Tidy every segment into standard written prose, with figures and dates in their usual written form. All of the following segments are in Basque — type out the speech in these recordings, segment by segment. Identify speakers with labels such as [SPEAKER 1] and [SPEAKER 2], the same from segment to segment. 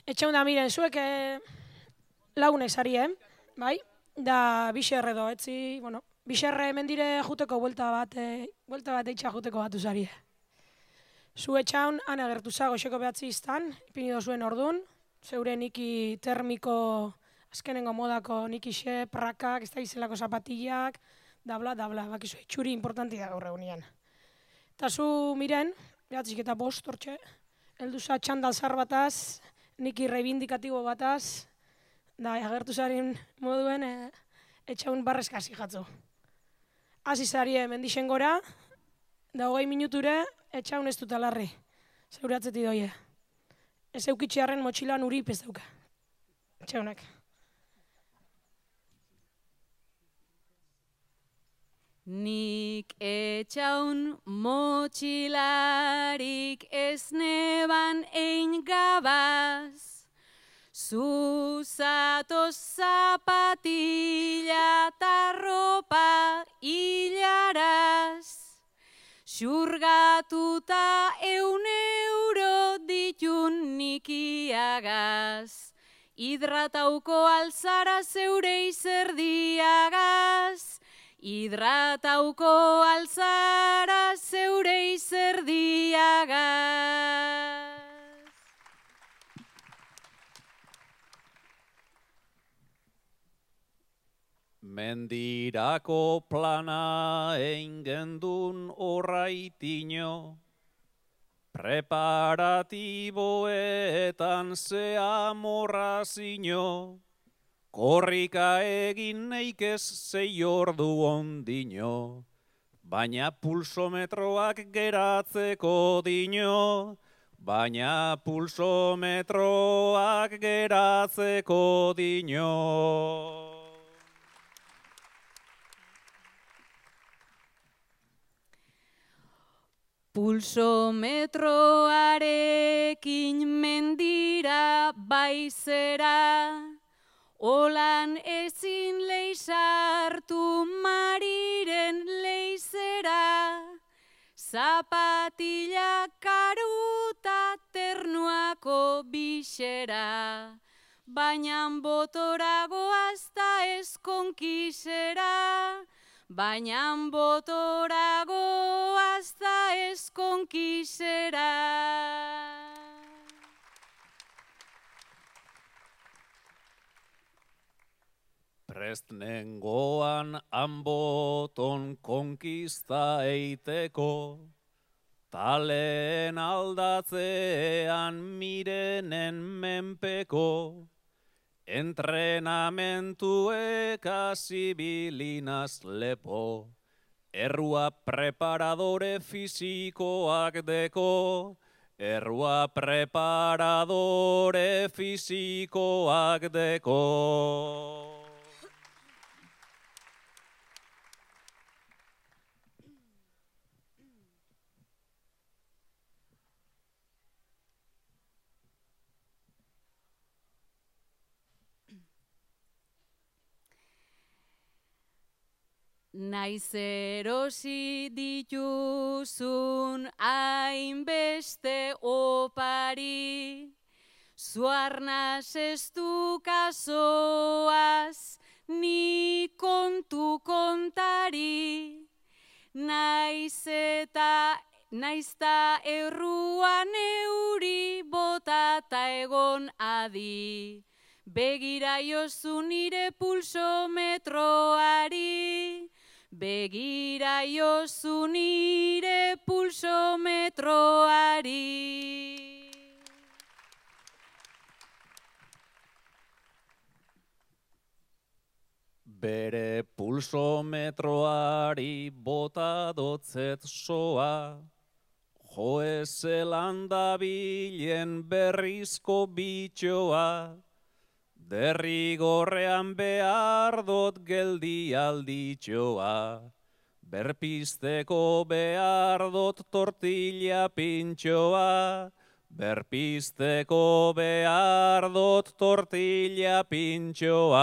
[SPEAKER 1] Etxeun da, miren, zuek lagunek zari, bai? Da, bixerre do, etzi, bueno, bixerre mendire juteko buelta bat eitxa juteko batu zari. Zu etxaun, han agertu za, goxeko behatzi iztan, ipini dozuen ordun, zeure niki termiko, azkenengo modako niki xe, prakak, ez da izelako zapatillak, da bla, bakizu, txuri importanti da gaur egunean. Eta zu, miren, behatzik eta bost, hortxe, heldu za txandal zar bataz, niki reivindikatibo bataz, da, agertu zaren moduen, etxaun barrezkasi jatzu. Hasi zarie mendixen gora, da 20 minuture, etxaun ez dut alarri, zeure atzeti doie. Ez eukitxearen motxilan urip ez dauka, etxaunak.
[SPEAKER 2] Nik etxaun motxilarik ez neban ein gabaz, zuzatoz zapatilla ta ropa hilaraz, xurgatuta 100 euro ditun nikiagaz, hidratauko alzara zeure izerdiagaz, hidratauko alzara zeure izerdiagaz.
[SPEAKER 3] Mendirako plana eingendun orraitino, preparatiboetan zea morrazino, korrika egin neikez 6 ordu ondino, baina pulsometroak geratzeko dino, baina pulsometroak geratzeko dino.
[SPEAKER 2] Pulsometroarekin mendira baizera, olan ezin leizartu Mariren leizera, zapatilla karuta ternuako bixera, baina botoragoaz da ez konkisera, baina botoragoaz da ez konkisera.
[SPEAKER 3] Prest nengoan hanboton konkista eiteko, taleen aldatzean Mirenen menpeko, entrenamentuek hasibilinaz lepo, errua preparadore fisikoak deko, errua preparadore fisikoak deko.
[SPEAKER 2] Naiz erosi dituzun hainbeste opari, zuarnaz ez du kasoaz ni kontu kontari, naizta erruan euri botata egon adi, begira jozu nire pulsometroari, begira jozu nire pulsometroari.
[SPEAKER 3] Bere pulsometroari bota dotzet soa, jo zelan dabilen berrizko bitxoa, derrigorrean behar dot geldi alditxoa, berpisteko behar dot tortilla pintxoa, berpisteko behar dot tortilla pintxoa.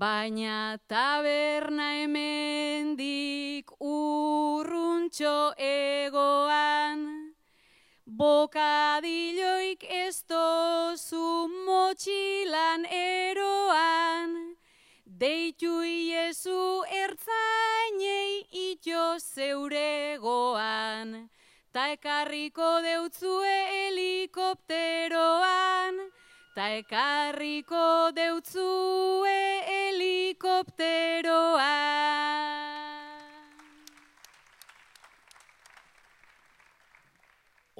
[SPEAKER 2] baina taberna hemendik urruntxo egoan, bokadilloik ez dozu motxilan eroan, deitu iezu ertzainei ito zeuregoan, ta ekarriko deutzue helikopteroan, ta ekarriko deutzue helikopteroan.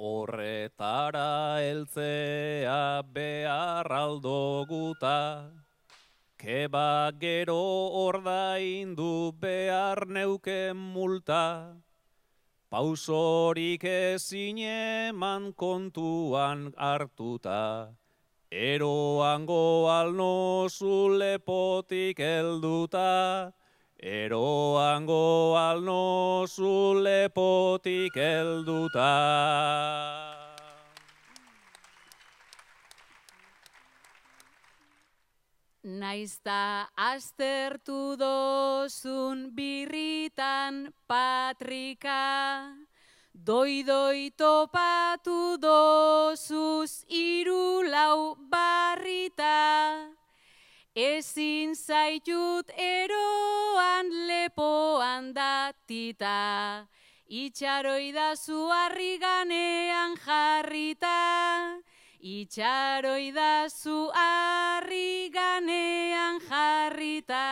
[SPEAKER 3] Horretara heltzea behar aldoguta, keba gero ordaindu behar neuken multa, pausorik ezin eman kontuan hartuta, eroango alnozu lepotik helduta, eroango alnozu lepotik helduta.
[SPEAKER 2] Naizta aztertu dozun birritan patrika, doi topatu dozuz 3-4 barrita, ezin zaitut eroan lepoan datita, itxaroidazu harri ganean jarrita, itxaroidazu harri ganean jarrita.